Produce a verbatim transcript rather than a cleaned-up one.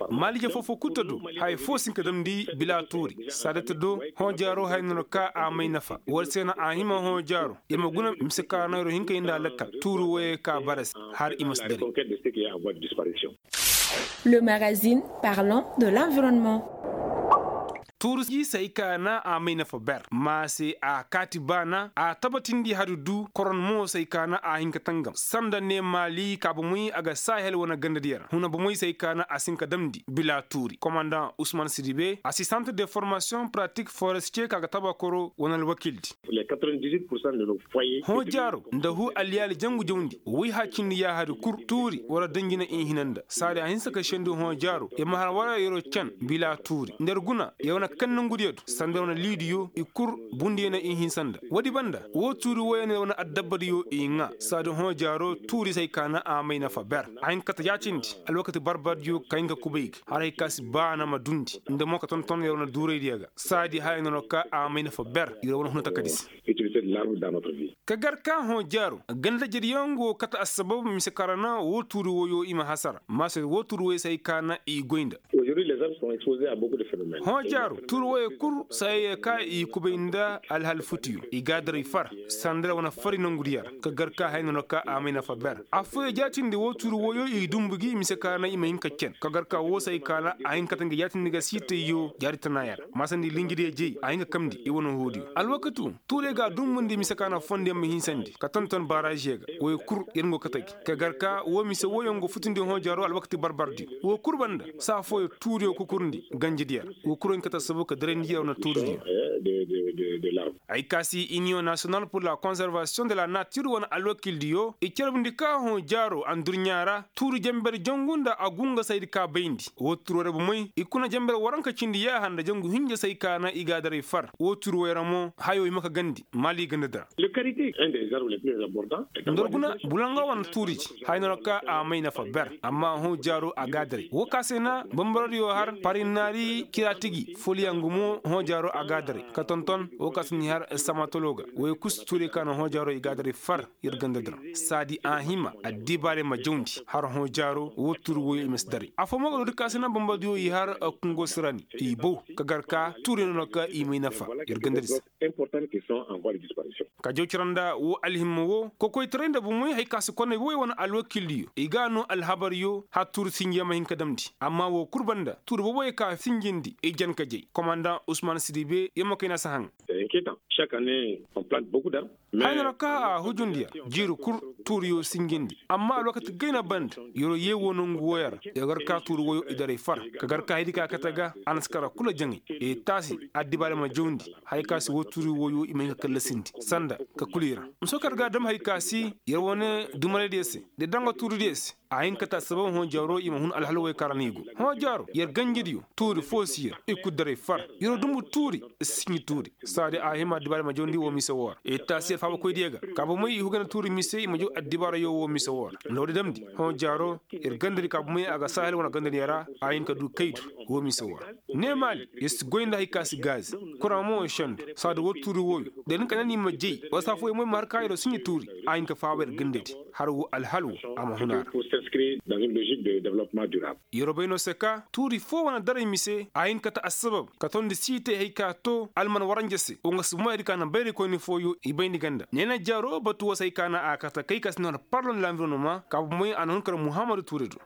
Maalije foo-foo kul ta do haya foo si hin ka damndi bila tuuri saada ta do. Hõ jaaro haya no na ka a may nafa war se no a hima hõ jaaro i ma guna mise ka ra no yer wo hin ka yee nda a lakkal tuuri woyey ka bara se har i ma si dare. Le magazine parlant de l'environnement. Tuuru jiisey ka na a may nafa ber ma se a kaati baana a tabatindi hari du koron mo say ka na a hin ka tangam sanda ne maali ka bomey a ga saahel wane gandadiyo ra huna bomey say ka na a si hin ka damndi bila tuuri komandaŋ usman sidibe asistant de formasiyoŋ pratik forestiye ka ga tabakoro wane alwakildi. Hõ jaaro nda huu alyaali jangu jawndi woy hacindi yaahadi kul tuuri war danji na i hina nda saadi a hinsa ka sendi hõ jaaro i ma har wara yeroo can bila tuuri nda yer guna yer wane kaŋ nongudiyo du sanda yer wane liidiyo i kul bundiyo na i hinsa nda woodi banda woo tuuri woyoo na yer wane addabbadiyo i ŋaa saadi hõ jaaro tuuri se ay ka na a may nafa ber a hin ka kate yaacindi alwakati barbardiyo ka hin ka kubay ga har hay ka si baana ma dundi nda mo ka tonton yer wane duuraydiyo ga saadi haya no na ka a may nafa ber yer wane huna takadi se. Ka gar ka hõ jaaro ganda jariyaŋ go kate assabab mise kaŋ ra na woo tuuri woyoo i ma hasara maase woo tuuri woyoo se ay ka na i goy nda. Hõ jaaro tuuri woyoo kul saayey ka i kubay nda alhal futiyo i ga a daray far sanda ra wane fari nongudiyo ra ka gar ka haya no na ka a may nafa ber affooyoo jaatindi woo tuuri woyoo i dumbu gi mise kaŋ ra na i ma hin ka cen ka gar ka woo se ay ka na a hin ka kate nga jaatindi ga siitayyo jaari tanaayo ra maasandi linjidiyo jey a hin ka kamndi i wane hoodiyo alwakatu tuurey ga a dumbundi mise ka na fondiyaŋ ma hinsandi ka tonton baaraziyo ga woy kul yer nga go kate gi ka gar ka woo mise wooyaŋ go futundi hõ jaaro alwakati barbardiyo woo kul banda saa fooyaŋ tuuriyo kukurndi ganjidiyo ra woo kul yer nga kate assabab ka darandi yer wane tuuridiyo. Ay ka si iniyoŋ nasiyonal pur la konservasiyoŋ de la natir wane alwakildiyo i carbundi ka hõ jaaro andurɲaa ra tuuri janber jangu nda a gungasaydi ka bayndi woo tuuri woy ra bomey i kuna janber waranka cindi yaaha nda jangu hinja se ay ka na i ga a daray far woo tuuri woy ra mo hayoo hima ka gandi maali gandadi ra. Nda war guna bulanga wane tuuriji haya no ra ka a may nafa ber amma hõ jaaro a ga a daray woo ka se na bambaradiyo har parinnaari ciraatigi foliyaŋ gumo hõ jaaro a ga a daray ka tonton woo ka se ni har samatolo ga woy kul si tuurey ka na hõ jaaro i ga a daray far yer gandadi ra saadi a hima addibaarey ma jawndi har hõ jaaro woo tuuri woyoo i ma si daray affoo mo ga dooti ka se na bambaradiyo i har kungo sirani i bow ka gar ka tuurey no na ka i may nafa yer gandadi se. Ka jaw cira nda woo alhimma woo kokoytaray nda bomey hay ka si konney woy wane alwakildiyo i ga a noo alhabaryo har tuuri sinjiyaŋ ma hin ka damndi amma woo kul banda tuuri booboyoo ka sinjindi i jan ka jay komandaŋ usman sidibe yer ma kayna si haŋ. Haya no ra ka a hujundi yer jiiri kul tuuriyo sinjindi amma alwakati gayna banda yeroo yee woo nongu wooyo ra yer gar ka tuuri woyoo i daray far ka gar ka haydi ka kate ga a na si kara kula jaŋay i taasi addibaarey ma jawndi haya ka si woo tuuri woyoo i ma hin ka kallasindi sanda ka kula i ra. Mise wo kaŋ yer ga a dam haya ka si yer wane dumaraydiyo se nda danga tuuridiyo se a hin ka kate assabab hõ jaaro i ma hun alhal woy kaŋ ra no i go hõ jaaro yer ganjidiyo tuuri foo si yer i kul daray far yeroo dumbu tuuri sinji tuuri saadi a hima addibaarey ma jawndi woo mise woo ra i taasi yer faabakoydiyo ga ka bomey i hugana tuuri mise i ma jaw addibaarayo woo mise woo ra nda woodi damndi hõ jaaro yer gandadi ka bomey a ga saahel wane gandadiyo ra a hin ka duu kaydu woo mise woo ra neemaali yer si goy nda hay ka si gaazi kuraŋ mo sendu saadi woo tuuri wooyo da nin ka ne ni ma jay wala saa fooyaŋ mo i ma har ka yeroo sinji tuuri a hin ka faaba yer gandadi har woo alhal woo a ma hun a ra. Yeroo bay no se ka tuuri foo wane daray mise a hin ka kate assabab ka tondi siitay hay ka too alman waranja se wa nga si moyadi ka na bayraykoyni fooyo i bayndi ganda neena jaaroo batu woo se hay ka na a kate kay ka si noo har parlon lanvironoma ka bomey a na hun kar muhammadu tuure do.